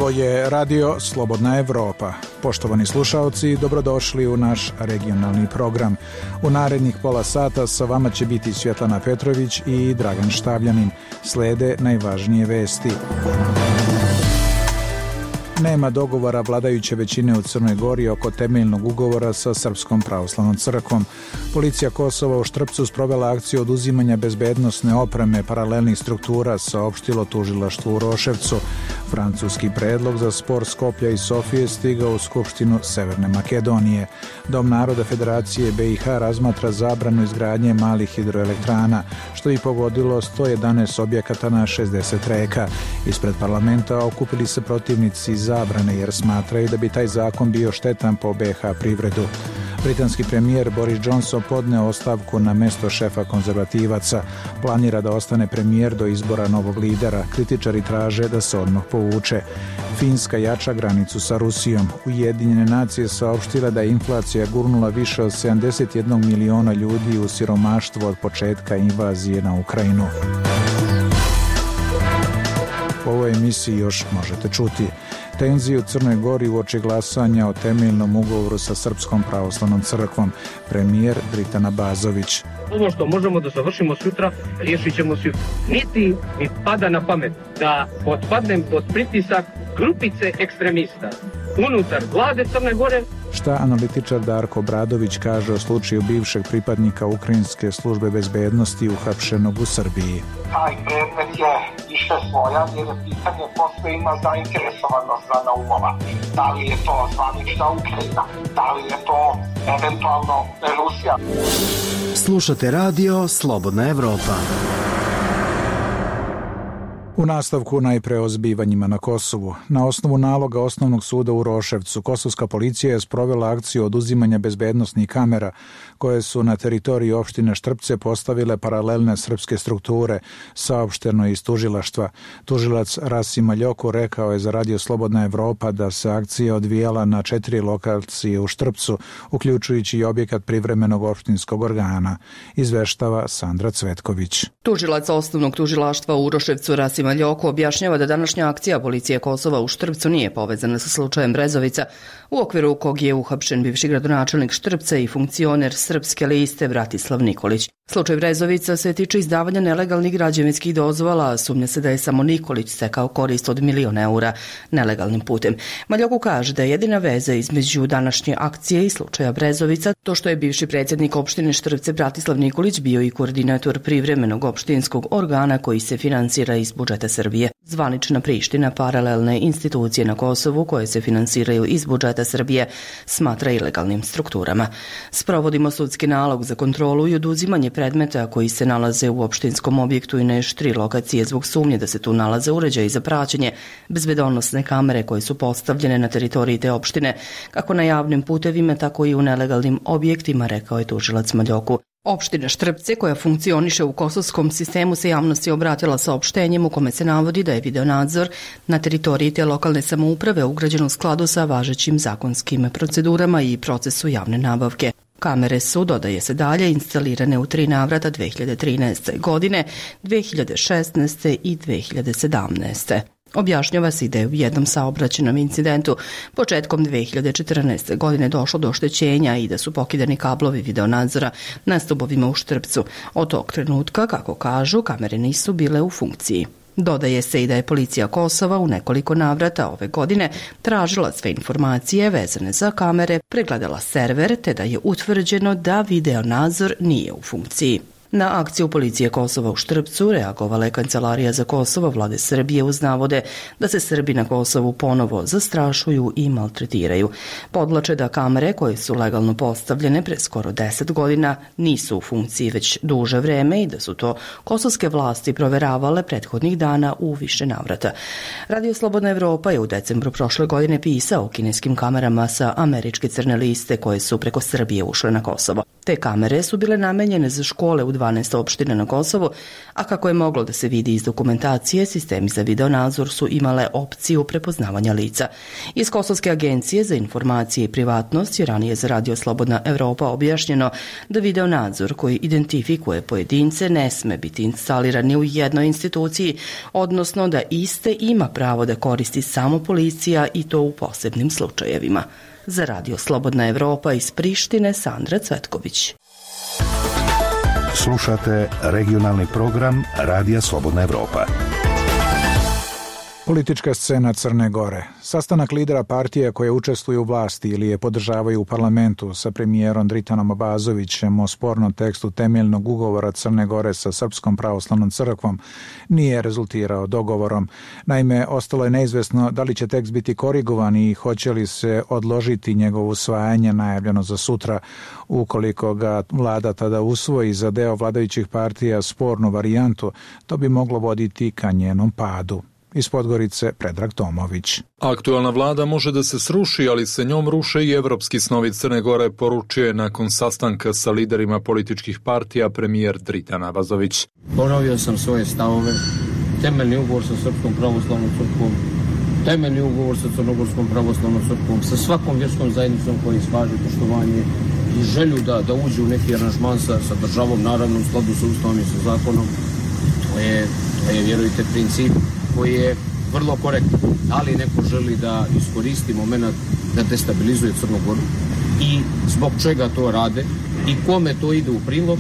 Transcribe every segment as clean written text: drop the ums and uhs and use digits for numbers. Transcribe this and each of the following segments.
Ovo je radio Slobodna Evropa. Poštovani slušaoci, dobrodošli u naš regionalni program. U narednih pola sata sa vama će biti Svjetlana Petrović i Dragan Štavljanin. Slede najvažnije vesti. Nema dogovora vladajuće većine u Crnoj Gori oko temeljnog ugovora sa Srpskom pravoslavnom crkvom. Policija Kosova u Štrpcu sprovela akciju oduzimanja bezbednosne opreme paralelnih struktura, saopštilo tužilaštvo u Roševcu. Francuski predlog za spor Skoplja i Sofije stigao u Skupštinu Severne Makedonije. Dom naroda Federacije BiH razmatra zabranu izgradnje malih hidroelektrana, što bi pogodilo 111 objekata na 60 reka. Ispred parlamenta okupili se protivnici zabrane jer smatraju da bi taj zakon bio štetan po BiH privredu. Britanski premijer Boris Johnson podneo ostavku na mesto šefa konzervativaca. Planira da ostane premijer do izbora novog lidera. Kritičari traže da se odmah povuče. Finska jača granicu sa Rusijom. Ujedinjene nacije saopštile da je inflacija gurnula više od 71 miliona ljudi u siromaštvo od početka invazije na Ukrajinu. U ovoj emisiji još možete čuti tenziju u Crnoj Gori uoči glasanja o temeljnom ugovoru sa Srpskom pravoslavnom crkvom. Premijer Dritan Abazović. Ovo što možemo da završimo sutra, riješit ćemo sutra. Niti mi pada na pamet da potpadnem pod pritisak grupice ekstremista unutar vlade Crne Gore. Šta analitičar Darko Bradović kaže o slučaju bivšeg pripadnika Ukrajinske službe bezbednosti uhapšenog u Srbiji? Taj predmet je više svoja jer je pitanje posle ima zainteresovanost za naumova. Da li je to zvanična Ukrajina? Da li je to eventualno Rusija? Slušate radio Slobodna Evropa. U nastavku najpre o zbivanjima na Kosovu. Na osnovu naloga Osnovnog suda u Roševcu, kosovska policija je sprovela akciju oduzimanja bezbednosnih kamera koje su na teritoriji opštine Štrpce postavile paralelne srpske strukture, saopšteno iz tužilaštva. Tužilac Rasim Aljoko rekao je za radio Slobodna Evropa da se akcija odvijala na 4 lokacije u Štrpcu, uključujući i objekat privremenog opštinskog organa, izveštava Sandra Cvetković. Tužilac Osnovnog tužilaštva u Uroševcu Rasim Aljoko objašnjava da današnja akcija policije Kosova u Štrpcu nije povezana sa slučajem Brezovica, u okviru kog je uhapšen bivši gradonačelnik Štrpca i funkcioner Srpske liste Bratislav Nikolić. Slučaj Brezovica se tiče izdavanja nelegalnih građevinskih dozvola, a sumnja se da je samo Nikolić stekao korist od 1 milion eura nelegalnim putem. Aljoko kaže da je jedina veza između današnje akcije i slučaja Brezovica to što je bivši predsjednik opštine Štrpce Bratislav Nikolić bio i koordinator privremenog opštinskog organa koji se finansira iz budžeta Srbije. Zvanična Priština paralelne institucije na Kosovu koje se finansiraju iz budžeta Srbije smatra ilegalnim strukturama. Sprovodimo sudski nalog za kontrolu i oduzimanje predmeta koji se nalaze u opštinskom objektu i na još 3 lokacije zbog sumnje da se tu nalaze uređaji za praćenje, bezbedonosne kamere koje su postavljene na teritoriji te opštine, kako na javnim putevima, tako i u nelegalnim objektima, rekao je tužilac Maljoku. Opština Štrpce, koja funkcioniše u kosovskom sistemu, se javnosti obratila saopštenjem u kome se navodi da je videonadzor na teritoriji te lokalne samouprave ugrađen u skladu sa važećim zakonskim procedurama i procesu javne nabavke. Kamere su, dodaje se dalje, instalirane u 3 navrata 2013. godine, 2016. i 2017. Objašnjava se da je u jednom saobraćajnom incidentu početkom 2014. godine došlo do oštećenja i da su pokidani kablovi videonadzora na stubovima u Štrpcu. Od tog trenutka, kako kažu, kamere nisu bile u funkciji. Dodaje se i da je policija Kosova u nekoliko navrata ove godine tražila sve informacije vezane za kamere, pregledala server, te da je utvrđeno da videonadzor nije u funkciji. Na akciju policije Kosova u Štrpcu reagovala je Kancelarija za Kosovo vlade Srbije uz navode da se Srbi na Kosovu ponovo zastrašuju i maltretiraju. Podlače da kamere koje su legalno postavljene pre skoro 10 godina nisu u funkciji već duže vreme i da su to kosovske vlasti proveravale prethodnih dana u više navrata. Radio Slobodna Evropa je u decembru prošle godine pisao o kineskim kamerama sa američke crne liste koje su preko Srbije ušle na Kosovo. Te kamere su bile namenjene za škole u 12 opština na Kosovu, a kako je moglo da se vidi iz dokumentacije, sistemi za videonadzor su imale opciju prepoznavanja lica. Iz Kosovske agencije za informacije i privatnost je ranije za Radio Slobodna Evropa objašnjeno da videonadzor koji identifikuje pojedince ne sme biti instaliran ni u jednoj instituciji, odnosno da iste ima pravo da koristi samo policija i to u posebnim slučajevima. Za Radio Slobodna Evropa iz Prištine, Sandra Cvetković. Slušate regionalni program Radija Slobodna Evropa. Politička scena Crne Gore. Sastanak lidera partije koje učestvuju u vlasti ili je podržavaju u parlamentu sa premijerom Dritanom Abazovićem o spornom tekstu temeljnog ugovora Crne Gore sa Srpskom pravoslavnom crkvom nije rezultirao dogovorom. Naime, ostalo je neizvesno da li će tekst biti korigovan i hoće li se odložiti njegovo usvajanje najavljeno za sutra. Ukoliko ga vlada tada usvoji za deo vladajućih partija spornu varijantu, to bi moglo voditi ka njenom padu. Iz Podgorice, Predrag Tomović. Aktualna vlada može da se sruši, ali se njom ruše i evropski snovi Crne Gore, poručio je nakon sastanka sa liderima političkih partija premijer Dritan Abazović. Ponovio sam svoje stavove, temeljni ugovor sa Srpskom pravoslavnom crkvom, temeljni ugovor sa Crnogorskom pravoslavnom crkvom, sa svakom vjerskom zajednicom koji iskaže poštovanje i želju da uđe u neki aranžman sa državom, naravno u skladu sa ustavom i sa zakonom. To je, vjerujte, princip koji je vrlo korektan, ali neko želi da iskoristi moment da destabilizuje Crnu Goru i zbog čega to rade i kome to ide u prilog,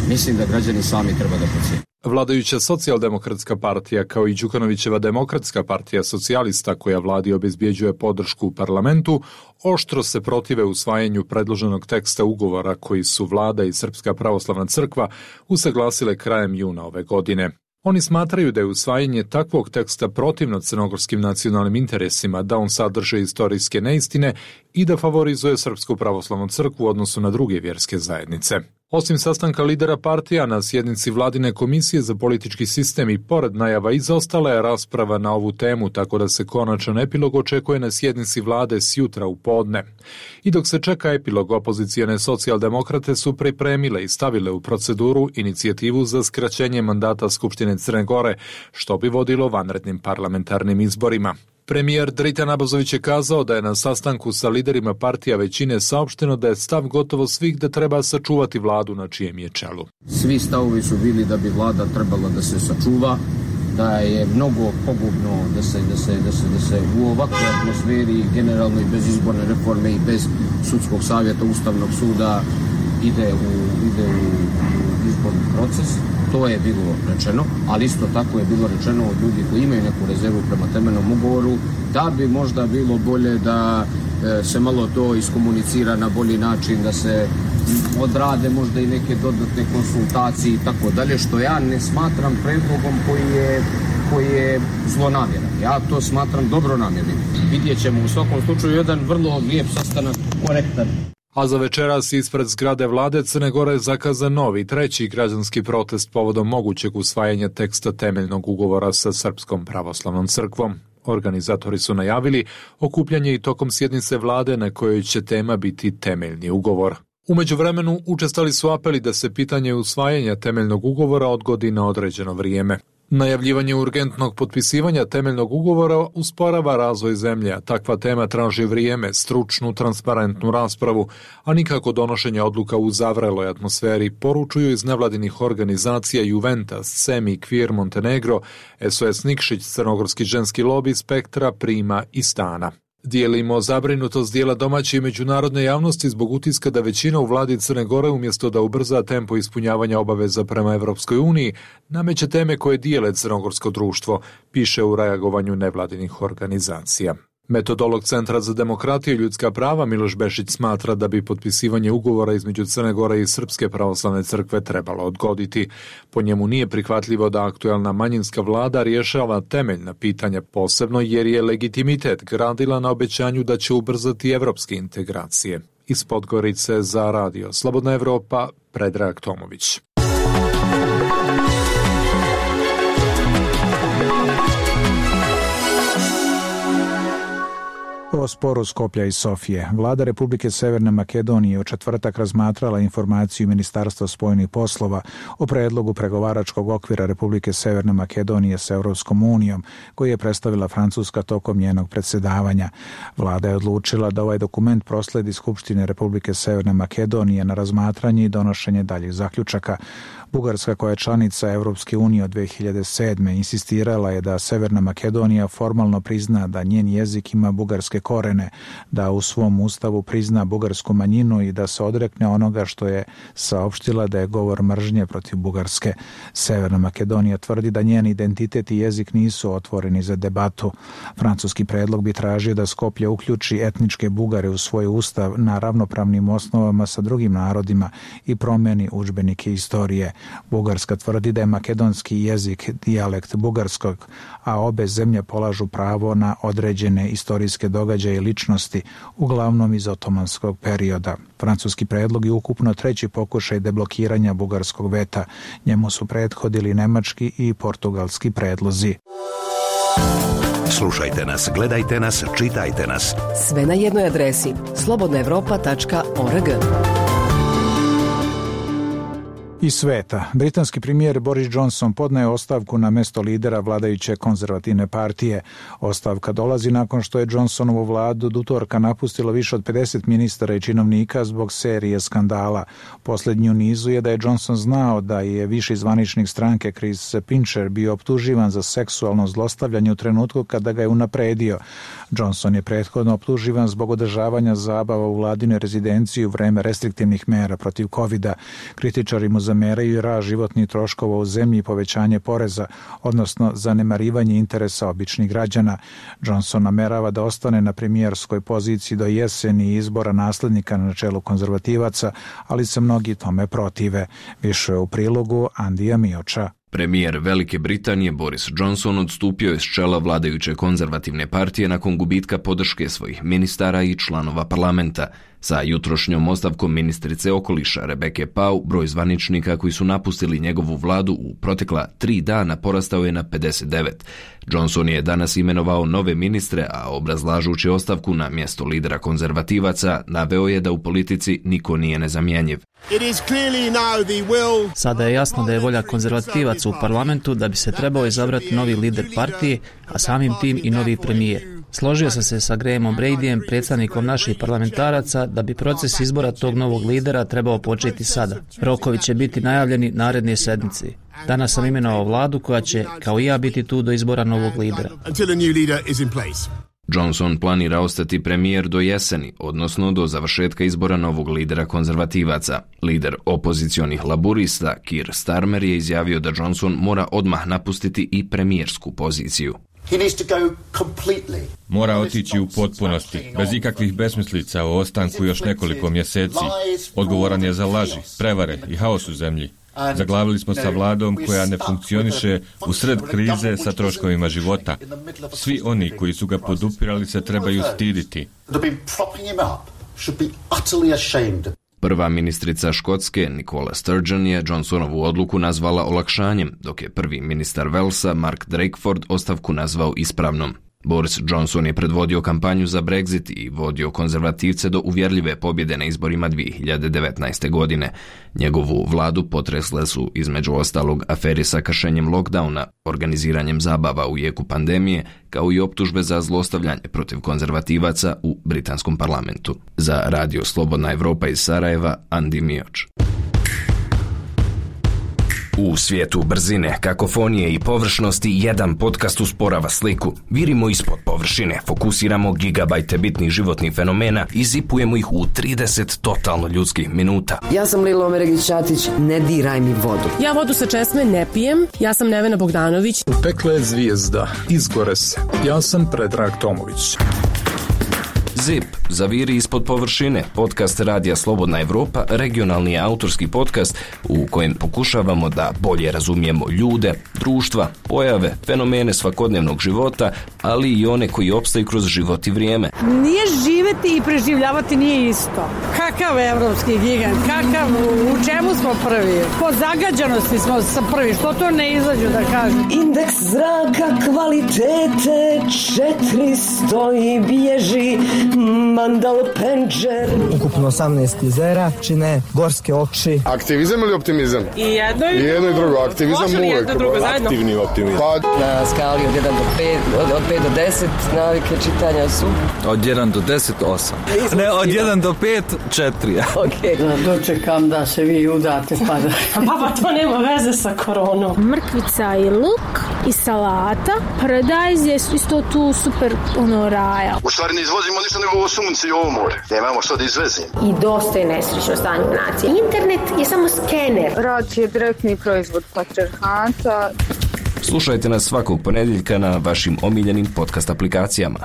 mislim da građani sami treba da procjene. Vladajuća socijaldemokratska partija kao i Đukanovićeva demokratska partija socijalista koja vladi obezbjeđuje podršku u parlamentu, oštro se protive usvajanju predloženog teksta ugovora koji su vlada i Srpska pravoslavna crkva usaglasile krajem juna ove godine. Oni smatraju da je usvajanje takvog teksta protivno crnogorskim nacionalnim interesima, da on sadrže istorijske neistine i da favorizuje Srpsku pravoslavnu crkvu u odnosu na druge vjerske zajednice. Osim sastanka lidera partija na sjednici Vladine komisije za politički sistem i pored najava izostala je rasprava na ovu temu, tako da se konačan epilog očekuje na sjednici vlade sjutra u podne. I dok se čeka epilog, opozicijone socijaldemokrate su pripremile i stavile u proceduru inicijativu za skraćenje mandata Skupštine Crne Gore, što bi vodilo vanrednim parlamentarnim izborima. Premijer Dritan Abazović je kazao da je na sastanku sa liderima partija većine saopšteno da je stav gotovo svih da treba sačuvati vladu na čijem je čelu. Svi stavovi su bili da bi vlada trebala da se sačuva, da je mnogo pogubno da se u ovakvoj atmosferi generalno i bez izborne reforme i bez sudskog savjeta Ustavnog suda ide u izborni proces. To je bilo rečeno, ali isto tako je bilo rečeno od ljudi koji imaju neku rezervu prema temeljnom ugovoru, da bi možda bilo bolje da se malo to iskomunicira na bolji način, da se odrade možda i neke dodatne konsultacije i tako dalje, što ja ne smatram predlogom koji je zlonamjeran. Ja to smatram dobronamjernim. Vidjet ćemo u svakom slučaju jedan vrlo lijep sastanak, korektan. A za večeras ispred zgrade vlade Crne Gore zakazan novi, treći građanski protest povodom mogućeg usvajanja teksta temeljnog ugovora sa Srpskom pravoslavnom crkvom. Organizatori su najavili okupljanje i tokom sjednice vlade na kojoj će tema biti temeljni ugovor. U međuvremenu učestali su apeli da se pitanje usvajanja temeljnog ugovora odgodi na određeno vrijeme. Najavljivanje urgentnog potpisivanja temeljnog ugovora usporava razvoj zemlje, a takva tema traži vrijeme, stručnu, transparentnu raspravu, a nikako donošenje odluka u zavreloj atmosferi, poručuju iz nevladinih organizacija Juventus, Semi, Kvir, Montenegro, SOS Nikšić, Crnogorski ženski lobi, Spektra, Prima i Stana. Dijelimo zabrinutost dijela domaće i međunarodne javnosti zbog utiska da većina u vladi Crne Gore umjesto da ubrza tempo ispunjavanja obaveza prema Evropskoj uniji, nameće teme koje dijele crnogorsko društvo, piše u reagovanju nevladinih organizacija. Metodolog Centra za demokratiju i ljudska prava Miloš Bešić smatra da bi potpisivanje ugovora između Crne Gore i Srpske pravoslavne crkve trebalo odgoditi. Po njemu nije prihvatljivo da aktualna manjinska vlada rješava temeljna pitanja, posebno jer je legitimitet gradila na obećanju da će ubrzati evropske integracije. Iz Podgorice za Radio Slobodna Evropa, Predrag Tomović. O sporu Skoplja i Sofije. Vlada Republike Severne Makedonije u četvrtak razmatrala informaciju Ministarstva spoljnih poslova o predlogu pregovaračkog okvira Republike Severne Makedonije sa Europskom unijom, koji je predstavila Francuska tokom njenog predsjedavanja. Vlada je odlučila da ovaj dokument prosledi Skupštine Republike Severne Makedonije na razmatranje i donošenje daljih zaključaka. Bugarska, koja je članica Europske unije od 2007. insistirala je da Severna Makedonija formalno prizna da njen jezik ima bugarske korene, da u svom ustavu prizna bugarsku manjinu i da se odrekne onoga što je saopštila da je govor mržnje protiv Bugarske. Severna Makedonija tvrdi da njen identitet i jezik nisu otvoreni za debatu. Francuski predlog bi tražio da Skoplje uključi etničke Bugare u svoj ustav na ravnopravnim osnovama sa drugim narodima i promeni udžbenike istorije. Bugarska tvrdi da je makedonski jezik dijalekt bugarskog, a obe zemlje polažu pravo na određene istorijske događaje i ličnosti, uglavnom iz otomanskog perioda. Francuski predlog je ukupno treći pokušaj deblokiranja bugarskog veta. Njemu su prethodili nemački i portugalski predlozi. Slušajte nas, gledajte nas, čitajte nas. Sve na jednoj adresi slobodnaevropa.org. Iz sveta. Britanski premijer Boris Johnson podneo ostavku na mesto lidera vladajuće konzervativne partije. Ostavka dolazi nakon što je Johnsonovu vladu do utorka napustilo više od 50 ministara i činovnika zbog serije skandala. Posljednji u nizu je da je Johnson znao da je viši zvaničnik stranke Chris Pincher bio optuživan za seksualno zlostavljanje u trenutku kada ga je unapredio. Johnson je prethodno optuživan zbog održavanja zabava u vladinoj rezidenciji u vreme restriktivnih mera protiv covida. Kritičari mu zameraju i rast životnih troškova u zemlji i povećanje poreza, odnosno zanemarivanje interesa običnih građana. Johnson namerava da ostane na premijerskoj poziciji do jeseni izbora naslednika na čelu konzervativaca, ali se mnogi tome protive. Više u prilogu Andija Mioča. Premijer Velike Britanije Boris Johnson odstupio je s čela vladajuće konzervativne partije nakon gubitka podrške svojih ministara i članova parlamenta. Sa jutrošnjom ostavkom ministrice okoliša Rebeke Pau, broj zvaničnika koji su napustili njegovu vladu u protekla 3 dana porastao je na 59. Johnson je danas imenovao nove ministre, a obrazlažući ostavku na mjesto lidera konzervativaca, naveo je da u politici niko nije nezamjenjiv. Sada je jasno da je volja konzervativaca u parlamentu da bi se trebao izabrati novi lider partije, a samim tim i novi premijer. Složio sam se sa Grahamom Bradyjem, predstavnikom naših parlamentaraca, da bi proces izbora tog novog lidera trebao početi sada. Rokovi će biti najavljeni naredne sedmice. Danas sam imenovao vladu koja će, kao i ja, biti tu do izbora novog lidera. Johnson planira ostati premijer do jeseni, odnosno do završetka izbora novog lidera konzervativaca. Lider opozicionih laburista, Keir Starmer, je izjavio da Johnson mora odmah napustiti i premijersku poziciju. Mora otići u potpunosti, bez ikakvih besmislica o ostanku još nekoliko mjeseci. Odgovoran je za laži, prevare i haos u zemlji. Zaglavili smo sa vladom koja ne funkcioniše u sred krize sa troškovima života. Svi oni koji su ga podupirali se trebaju stiditi. Prva ministrica Škotske, Nicola Sturgeon, je Johnsonovu odluku nazvala olakšanjem, dok je prvi ministar Walesa, Mark Drakeford, ostavku nazvao ispravnom. Boris Johnson je predvodio kampanju za Brexit i vodio konzervativce do uvjerljive pobjede na izborima 2019. godine. Njegovu vladu potresle su između ostalog aferi sa kršenjem lockdowna, organiziranjem zabava u jeku pandemije, kao i optužbe za zlostavljanje protiv konzervativaca u britanskom parlamentu. Za Radio Slobodna Evropa iz Sarajeva, Andi Mioč. U svijetu brzine, kakofonije i površnosti, jedan podcast usporava sliku. Virimo ispod površine, fokusiramo gigabajte bitnih životnih fenomena i zipujemo ih u 30 totalno ljudskih minuta. Ja sam Lilo Omeregić-Ćatić, ne diraj mi vodu. Ja vodu sa česme ne pijem, ja sam Nevena Bogdanović. Pekla je zvijezda, izgore se. Ja sam Predrag Tomović. ZIP, zaviri ispod površine, podcast Radija Slobodna Evropa, regionalni autorski podcast u kojem pokušavamo da bolje razumijemo ljude, društva, pojave, fenomene svakodnevnog života, ali i one koji opstaju kroz život i vrijeme. Nije živeti i preživljavati nije isto. Kakav evropski gigant, u čemu smo prvi? Po zagađanosti smo prvi, što to ne izađu da kažu? Indeks zraka kvalitete 400 i bježi Mandal Penđer. Ukupno 18 jezera čine gorske oči. Aktivizam ili optimizam? I jedno i drugo. Aktivizam uvek. Aktivni optimizam. Na skali od 1 do 5, od 5 do 10 navike čitanja su? Od 1 do 10, 8. Ne, od 1 do 5, 4. Okay. Dočekam da se vi udate pa da... Pa to nema veze sa koronom. Mrkvica i luk i salata. Paradajz je isto tu super raja. U stvari ne izvozimo ništa nego ovo sunce i ovo more. Nemamo što da izvezimo. I dosta je nesrećno stanje u naciji. Internet je samo skener. Rad je direktni proizvod patrijarhata. Slušajte nas svakog ponedjeljka na vašim omiljenim podcast aplikacijama.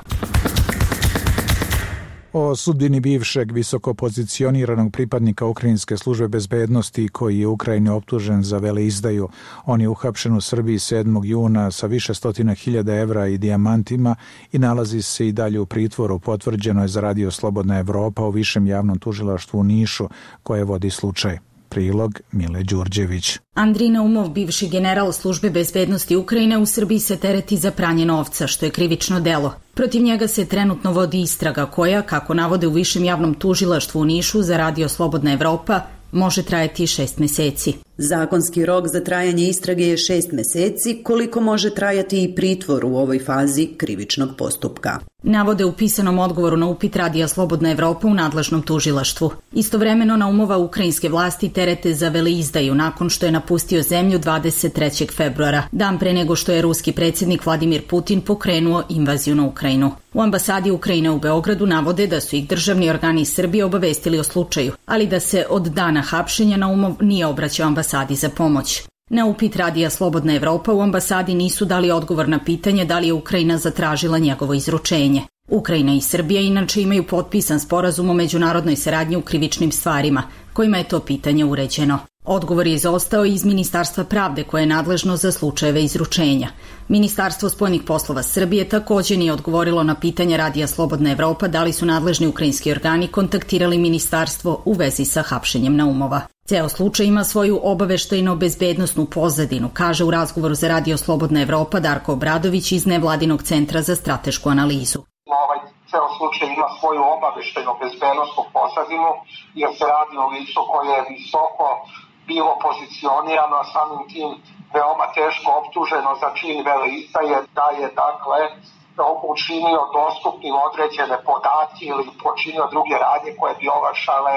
O sudbini bivšeg visoko pozicioniranog pripadnika Ukrajinske službe bezbednosti koji je u Ukrajini optužen za veleizdaju. On je uhapšen u Srbiji 7. juna sa više stotina hiljada evra i dijamantima i nalazi se i dalje u pritvoru. Potvrđeno je za Radio Slobodna Evropa u Višem javnom tužilaštvu u Nišu koje vodi slučaj. Prilog Mile Đurđević. Andrej Naumov, bivši general službe bezbednosti Ukrajine, u Srbiji se tereti za pranje novca, što je krivično delo. Protiv njega se trenutno vodi istraga koja, kako navode u Višem javnom tužilaštvu u Nišu za Radio Slobodna Evropa, može trajati 6 meseci. Zakonski rok za trajanje istrage je 6 meseci, koliko može trajati i pritvor u ovoj fazi krivičnog postupka. Navode u pisanom odgovoru na upit Radija Slobodna Evropa u nadležnom tužilaštvu. Istovremeno Naumova ukrajinske vlasti terete za veleizdaju nakon što je napustio zemlju 23. februara, dan pre nego što je ruski predsjednik Vladimir Putin pokrenuo invaziju na Ukrajinu. U ambasadi Ukrajine u Beogradu navode da su ih državni organi Srbije obavestili o slučaju, ali da se od dana hapšenja Naumov nije obraćao ambasadi za pomoć. Na upit Radija Slobodna Evropa u ambasadi nisu dali odgovor na pitanje da li je Ukrajina zatražila njegovo izručenje. Ukrajina i Srbija inače imaju potpisan sporazum o međunarodnoj saradnji u krivičnim stvarima, kojima je to pitanje uređeno. Odgovor je izostao iz Ministarstva pravde koje je nadležno za slučajeve izručenja. Ministarstvo spoljnih poslova Srbije također nije odgovorilo na pitanje Radija Slobodna Evropa da li su nadležni ukrajinski organi kontaktirali ministarstvo u vezi sa hapšenjem Naumova. Ceo slučaj ima svoju obaveštajno-bezbednosnu pozadinu, kaže u razgovoru za Radio Slobodna Evropa Darko Obradović iz Nevladinog centra za stratešku analizu. Ceo slučaj ima svoju obaveštajno-bezbednosnu pozadinu jer se radi o licu koje je visoko bilo pozicionirano, a samim tim veoma teško optuženo za čin veleizdaje, da je dakle učinio dostupnim određene podatke ili počinio druge radnje koje bi olakšale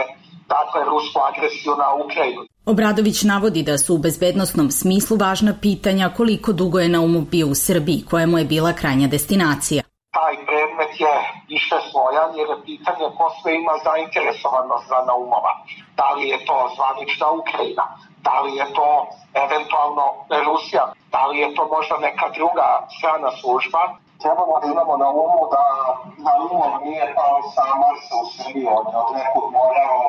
rusku agresiju na Ukrajinu. Obradović navodi da su u bezbednosnom smislu važna pitanja koliko dugo je Naumov bio u Srbiji, koja mu je bila krajnja destinacija. Taj predmet je više slojan jer je pitanje ko sve ima zainteresovanost za Naumova. Da li je to zvanična Ukrajina, da li je to eventualno Rusija, da li je to možda neka druga strana služba. Trebamo da imamo na umu da Naumov nije pao sa Marsa u Srbiji, on je od nekog morao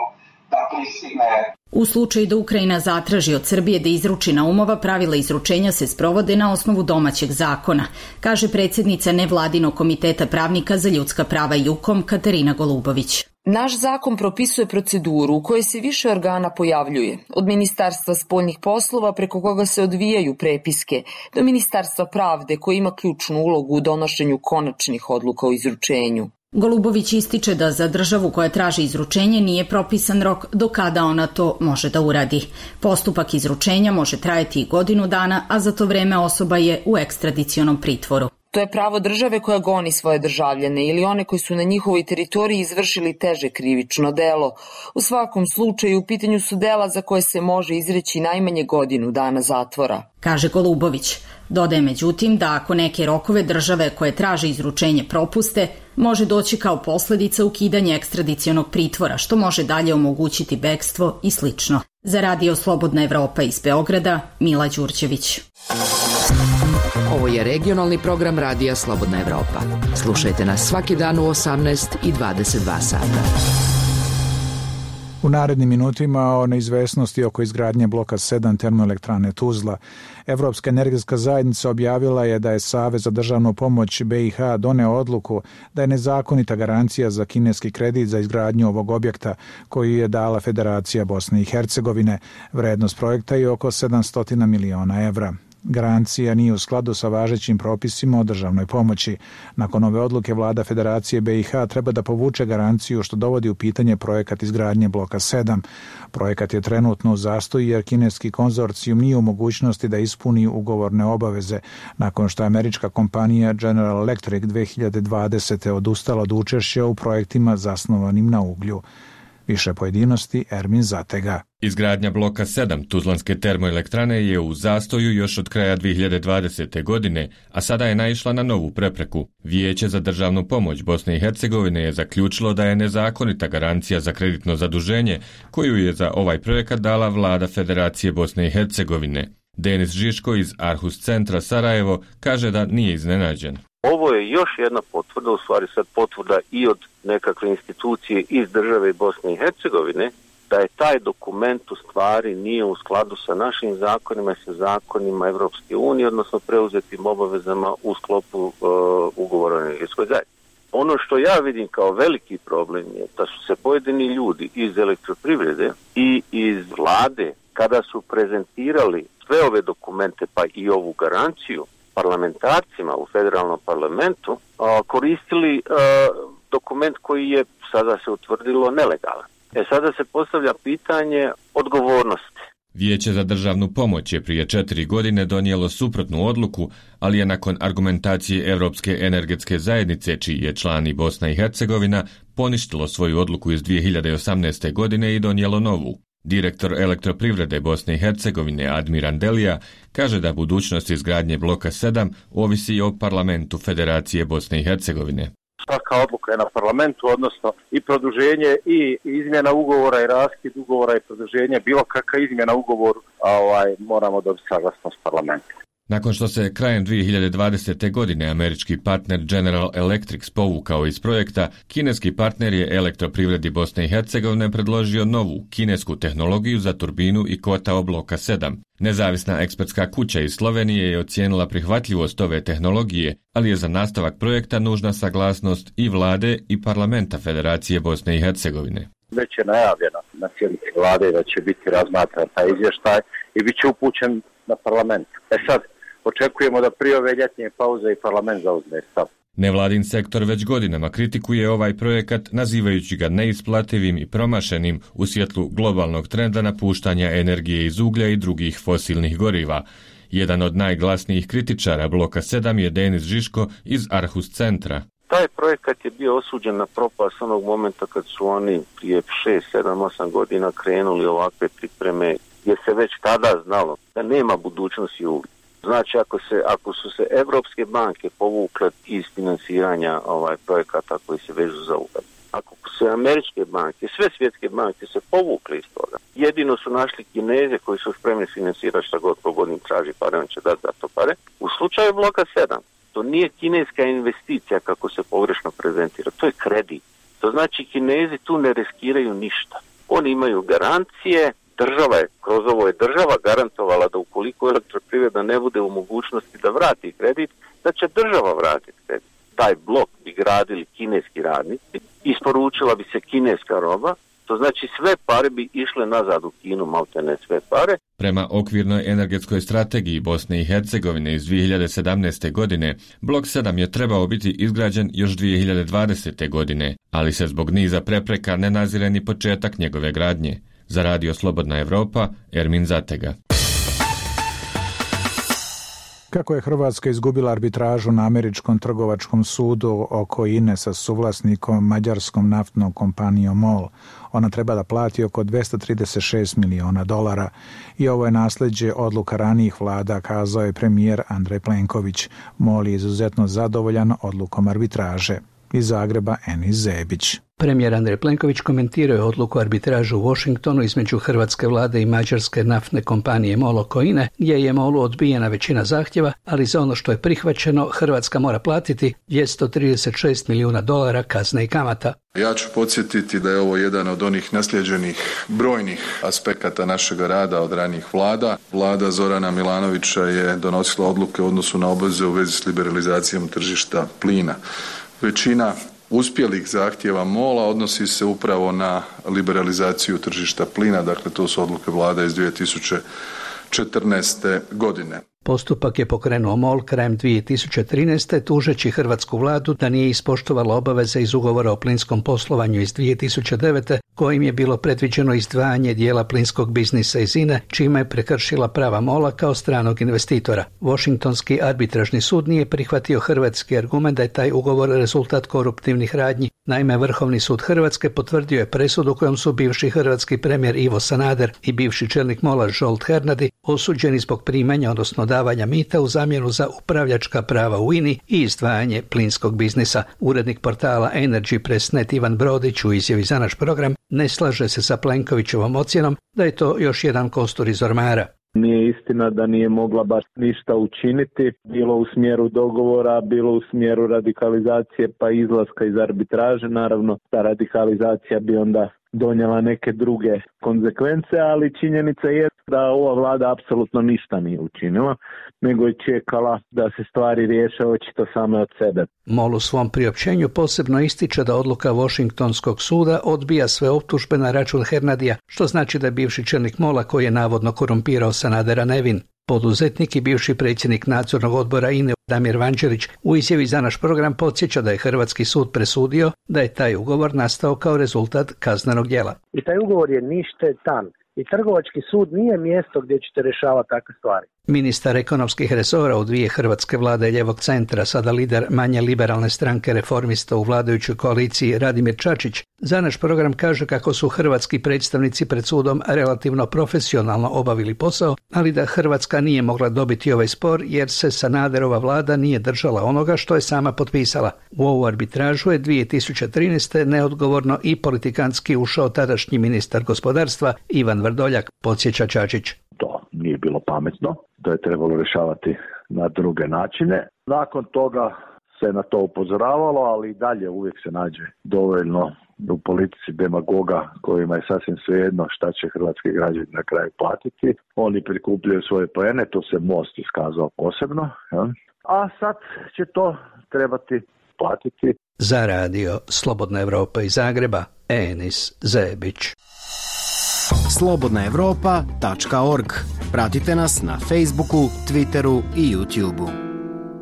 da pristigne. U slučaju da Ukrajina zatraži od Srbije da izruči Naumova, pravila izručenja se sprovode na osnovu domaćeg zakona, kaže predsjednica Nevladinog komiteta pravnika za ljudska prava JUKOM Katarina Golubović. Naš zakon propisuje proceduru u kojoj se više organa pojavljuje, od Ministarstva spoljnih poslova preko koga se odvijaju prepiske, do Ministarstva pravde koje ima ključnu ulogu u donošenju konačnih odluka o izručenju. Golubović ističe da za državu koja traži izručenje nije propisan rok do kada ona to može da uradi. Postupak izručenja može trajati i godinu dana, a za to vreme osoba je u ekstradicionom pritvoru. To je pravo države koja goni svoje državljane ili one koji su na njihovoj teritoriji izvršili teže krivično delo. U svakom slučaju u pitanju su dela za koje se može izreći najmanje godinu dana zatvora, kaže Golubović. Dodaje međutim da ako neke rokove države koje traže izručenje propuste, može doći kao posljedica ukidanja ekstradicionog pritvora, što može dalje omogućiti bekstvo i slično. Za Radio Slobodna Evropa iz Beograda, Mila Đurđević. Ovo je regionalni program Radija Slobodna Evropa. Slušajte nas svaki dan u 18 i 22 sata. U narednim minutima o neizvesnosti oko izgradnje bloka 7 termoelektrane Tuzla. Evropska energetska zajednica objavila je da je Savez za državnu pomoć BiH doneo odluku da je nezakonita garancija za kineski kredit za izgradnju ovog objekta koji je dala Federacija Bosne i Hercegovine. Vrednost projekta je oko 700 miliona evra. Garancija nije u skladu sa važećim propisima o državnoj pomoći. Nakon ove odluke vlada Federacije BiH treba da povuče garanciju što dovodi u pitanje projekat izgradnje bloka 7. Projekat je trenutno u zastoju jer kineski konzorcijum nije u mogućnosti da ispuni ugovorne obaveze nakon što je američka kompanija General Electric 2020. odustala od učešća u projektima zasnovanim na uglju. Više pojedinosti Ermin Zatega. Izgradnja bloka 7 Tuzlanske termoelektrane je u zastoju još od kraja 2020. godine, a sada je naišla na novu prepreku. Vijeće za državnu pomoć Bosne i Hercegovine je zaključilo da je nezakonita garancija za kreditno zaduženje koju je za ovaj projekat dala vlada Federacije Bosne i Hercegovine. Denis Žiško iz Arhus centra Sarajevo kaže da nije iznenađen. Ovo je još jedna potvrda, u stvari sad potvrda i od nekakve institucije iz države Bosne i Hercegovine, da je taj dokument u stvari nije u skladu sa našim zakonima i sa zakonima Evropske unije, odnosno preuzetim obavezama u sklopu ugovora o energetskoj zajednici. Ono što ja vidim kao veliki problem je da su se pojedini ljudi iz elektroprivrede i iz vlade, kada su prezentirali sve ove dokumente pa i ovu garanciju parlamentarcima u federalnom parlamentu, koristili dokument koji je sada se utvrdilo nelegalan. Sada se postavlja pitanje odgovornosti. Vijeće za državnu pomoć je prije 4 godine donijelo suprotnu odluku, ali je nakon argumentacije Evropske energetske zajednice, čiji je član i Bosna i Hercegovina, poništilo svoju odluku iz 2018. godine i donijelo novu. Direktor elektroprivrede Bosne i Hercegovine Admiran Delija kaže da budućnost izgradnje bloka 7 ovisi o parlamentu Federacije Bosne i Hercegovine. Svaka odluka je na parlamentu, odnosno i produženje i izmjena ugovora i raskid ugovora i produženje, bilo kakva izmjena ugovoru, moramo dobiti saglasnost parlamenta. Nakon što se krajem 2020. godine američki partner General Electric povukao iz projekta, kineski partner je elektroprivredi Bosne i Hercegovine predložio novu kinesku tehnologiju za turbinu i kotao bloka 7. Nezavisna ekspertska kuća iz Slovenije je ocijenila prihvatljivost ove tehnologije, ali je za nastavak projekta nužna saglasnost i vlade i parlamenta Federacije Bosne i Hercegovine. Već je najavljeno na sjednici vlade da će biti razmatran taj izvještaj i bit će upućen na parlament. Sad očekujemo da prije ove ljetnje pauze i parlament zauzme stav. Nevladin sektor već godinama kritikuje ovaj projekat, nazivajući ga neisplativim i promašenim u svjetlu globalnog trenda napuštanja energije iz uglja i drugih fosilnih goriva. Jedan od najglasnijih kritičara bloka 7 je Denis Žiško iz Arhus centra. Taj projekat je bio osuđen na propast onog momenta kad su oni prije 6, 7, 8 godina krenuli ovakve pripreme, jer se već tada znalo da nema budućnosti uglja. Znači, ako su se evropske banke povukle iz finansiranja projekata koji se vežu za ugalj, ako su se američke banke, sve svjetske banke se povukle iz toga, jedino su našli Kineze koji su spremni finansirati šta god pogodnim traži pare, on će dati za to pare. U slučaju bloka 7, to nije kineska investicija kako se pogrešno prezentira, to je kredit. To znači Kinezi tu ne riskiraju ništa. Oni imaju garancije. Država je, kroz ovo je država garantovala da ukoliko elektroprivreda ne bude u mogućnosti da vrati kredit, da će država vratiti kredit. Taj blok bi gradili kineski radnici, isporučila bi se kineska roba, to znači sve pare bi išle nazad u Kinu, maltene sve pare. Prema okvirnoj energetskoj strategiji Bosne i Hercegovine iz 2017. godine, blok 7 je trebao biti izgrađen još 2020. godine, ali se zbog niza prepreka ne nazire ni početak njegove gradnje. Za Radio Slobodna Evropa, Ermin Zatega. Kako je Hrvatska izgubila arbitražu na američkom trgovačkom sudu oko INE sa suvlasnikom mađarskom naftnom kompanijom MOL, ona treba da plati oko $236 miliona. I ovo je nasljeđe odluka ranijih vlada, kazao je premijer Andrej Plenković. MOL je izuzetno zadovoljan odlukom arbitraže. Iz Zagreba Enis Zebić. Premijer Andrej Plenković komentirao je odluku arbitražu u Washingtonu između hrvatske vlade i mađarske naftne kompanije MOL oko INE, gdje je MOL-u odbijena većina zahtjeva, ali za ono što je prihvaćeno Hrvatska mora platiti $236 milijuna kazne i kamata. Ja ću podsjetiti da je ovo jedan od onih naslijeđenih brojnih aspekata našega rada od ranijih vlada. Vlada Zorana Milanovića je donosila odluke u odnosu na obveze u vezi s liberalizacijom tržišta plina. Većina uspjelih zahtjeva MOL-a odnosi se upravo na liberalizaciju tržišta plina, dakle to su odluke vlade iz 2014. godine. Postupak je pokrenuo MOL krajem 2013. tužeći hrvatsku vladu da nije ispoštovala obaveze iz ugovora o plinskom poslovanju iz 2009. kojim je bilo predviđeno izdvajanje dijela plinskog biznisa iz INE, čime je prekršila prava MOL-a kao stranog investitora. Washingtonski arbitražni sud nije prihvatio hrvatski argument da je taj ugovor rezultat koruptivnih radnji. Naime, Vrhovni sud Hrvatske potvrdio je presudu kojom su bivši hrvatski premijer Ivo Sanader i bivši čelnik MOL-a Zsolt Hernadi osuđeni zbog primanja, odnosno davanja mita u zamjenu za upravljačka prava u INI i izdvajanje plinskog biznisa. Urednik portala Energy Press.net Ivan Brodić u izjavi za naš program ne slaže se sa Plenkovićevom ocjenom da je to još jedan kostur iz ormara. Nije istina da nije mogla baš ništa učiniti, bilo u smjeru dogovora, bilo u smjeru radikalizacije pa izlaska iz arbitraže. Naravno, ta radikalizacija bi onda donijela neke druge konzekvence, ali činjenica je da ova vlada apsolutno ništa nije učinila, nego je čekala da se stvari riješe očito same od sebe. MOL u svom priopćenju posebno ističe da odluka Washingtonskog suda odbija sve optužbe na račun Hernadija, što znači da je bivši čelnik MOL-a koji je navodno korumpirao Sanadera nevin. Poduzetnik i bivši predsjednik nadzornog odbora INE Damir Vanđelić u izjavi za naš program podsjeća da je hrvatski sud presudio da je taj ugovor nastao kao rezultat kaznenog djela. I taj ugovor je ništetan. I trgovački sud nije mjesto gdje ćete rješavati takve stvari. Ministar ekonomskih resora u dvije hrvatske vlade ljevog centra, sada lider manje liberalne stranke Reformista u vladajućoj koaliciji Radimir Čačić, za naš program kaže kako su hrvatski predstavnici pred sudom relativno profesionalno obavili posao, ali da Hrvatska nije mogla dobiti ovaj spor jer se Sanaderova vlada nije držala onoga što je sama potpisala. U ovu arbitražu je 2013. neodgovorno i politikantski ušao tadašnji ministar gospodarstva Ivan Vrdoljak, podsjeća Čačić. To nije bilo pametno, to je trebalo rješavati na druge načine. Nakon toga se na to upozoravalo, ali i dalje uvijek se nađe dovoljno u politici demagoga kojima je sasvim svejedno šta će hrvatski građani na kraju platiti. Oni prikupljaju svoje poene, to se Most iskazao posebno, ja? A sad će to trebati platiti. Za radio Slobodna Evropa iz Zagreba, Enis Zebić. slobodnaevropa.org. Pratite nas na Facebooku, Twitteru i YouTubeu.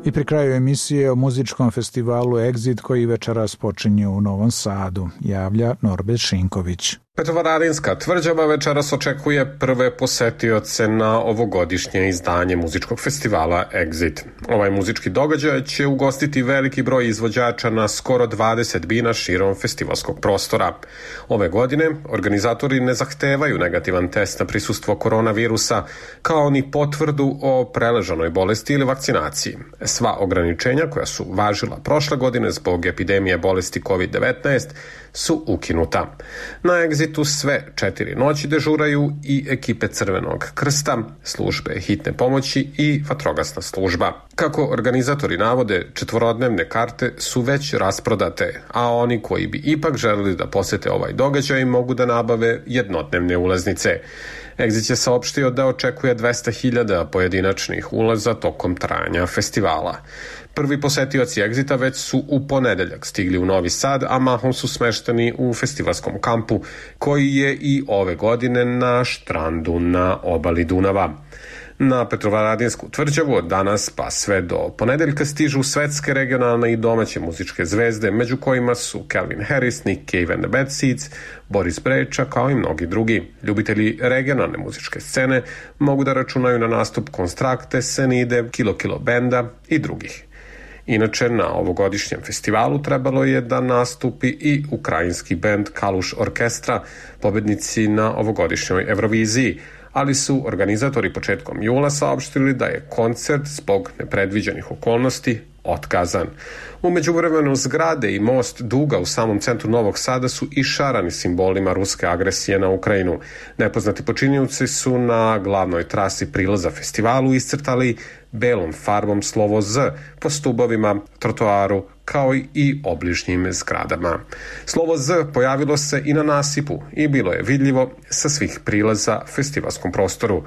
I pri kraju emisije o muzičkom festivalu Exit koji večeras počinje u Novom Sadu, javlja Norbert Šinković. Petrovaradinska tvrđava večeras očekuje prve posetioce na ovogodišnje izdanje muzičkog festivala Exit. Ovaj muzički događaj će ugostiti veliki broj izvođača na skoro 20 bina širom festivalskog prostora. Ove godine organizatori ne zahtevaju negativan test na prisustvo koronavirusa, kao ni potvrdu o preležanoj bolesti ili vakcinaciji. Sva ograničenja koja su važila prošle godine zbog epidemije bolesti COVID-19 su ukinuta. Na Exitu sve 4 noći dežuraju i ekipe Crvenog krsta, službe hitne pomoći i vatrogasna služba. Kako organizatori navode, 4-dnevne karte su već rasprodate, a oni koji bi ipak želeli da posete ovaj događaj mogu da nabave jednodnevne ulaznice. Exit je saopštio da očekuje 200.000 pojedinačnih ulaza tokom trajanja festivala. Prvi posetioci Exita već su u ponedeljak stigli u Novi Sad, a mahom su smešteni u festivalskom kampu, koji je i ove godine na štrandu na obali Dunava. Na Petrovaradinsku tvrđavu od danas pa sve do ponedeljka stižu svetske, regionalne i domaće muzičke zvezde, među kojima su Calvin Harris, Nick Cave and the Bad Seeds, Boris Brejča, kao i mnogi drugi. Ljubitelji regionalne muzičke scene mogu da računaju na nastup Konstrakte, Senide, Kilo Benda i drugih. Inače, na ovogodišnjem festivalu trebalo je da nastupi i ukrajinski bend Kaluš Orkestra, pobednici na ovogodišnjoj Euroviziji, ali su organizatori početkom jula saopštili da je koncert zbog nepredviđenih okolnosti otkazan. U međuvremenu zgrade i most Duga u samom centru Novog Sada su išarani simbolima ruske agresije na Ukrajinu. Nepoznati počinioci su na glavnoj trasi prilaza festivalu iscrtali belom farbom slovo Z po stubovima, trotoaru kao i obližnjim zgradama. Slovo Z pojavilo se i na nasipu i bilo je vidljivo sa svih prilaza festivalskom prostoru.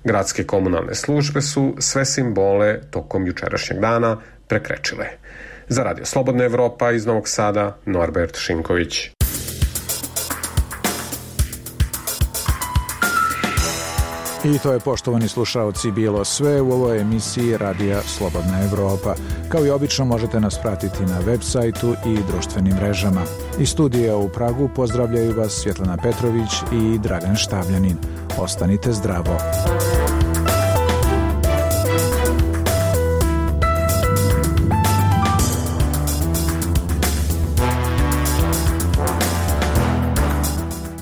Gradske komunalne službe su sve simbole tokom jučerašnjeg dana prekrečile. Za Radio Slobodna Evropa iz Novog Sada, Norbert Šinković. I to je, poštovani slušaoci, bilo sve u ovoj emisiji Radija Slobodna Evropa. Kao i obično možete nas pratiti na web sajtu i društvenim mrežama. Iz studija u Pragu pozdravljaju vas Svjetlana Petrović i Dragan Štavljanin. Ostanite zdravo.